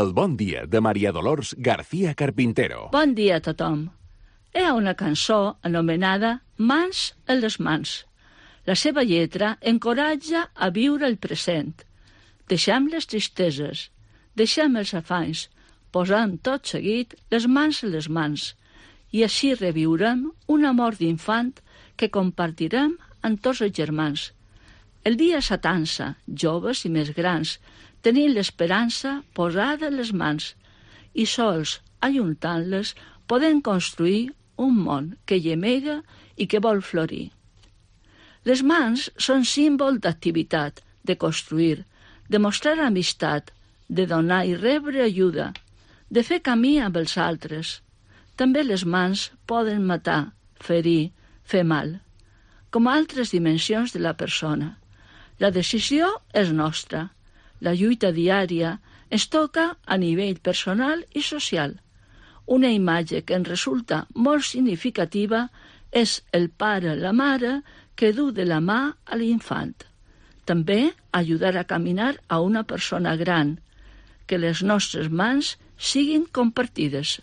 El bon dia de Maria Dolors García Carpintero. Bon dia a tothom. Hi ha una cançó anomenada Mans en les mans. La seva lletra encoratja a viure el present. Deixem les tristeses, deixem els afanys, posem tot seguit les mans en les mans i així reviurem un amor d'infant que compartirem amb tots els germans. El dia s'atansa, joves i més grans, tenint l'esperança posada en les mans i sols, ajuntant-les, podem construir un món que llemega i que vol florir. Les mans són símbol d'activitat, de construir, de mostrar amistat, de donar i rebre ajuda, de fer camí amb els altres. També les mans poden matar, ferir, fer mal, com altres dimensions de la persona. La decisió és nostra. La lluita diària ens toca a nivell personal i social. Una imatge que ens resulta molt significativa és el pare, la mare, que du de la mà a l'infant. També ajudar a caminar a una persona gran, que les nostres mans siguin compartides.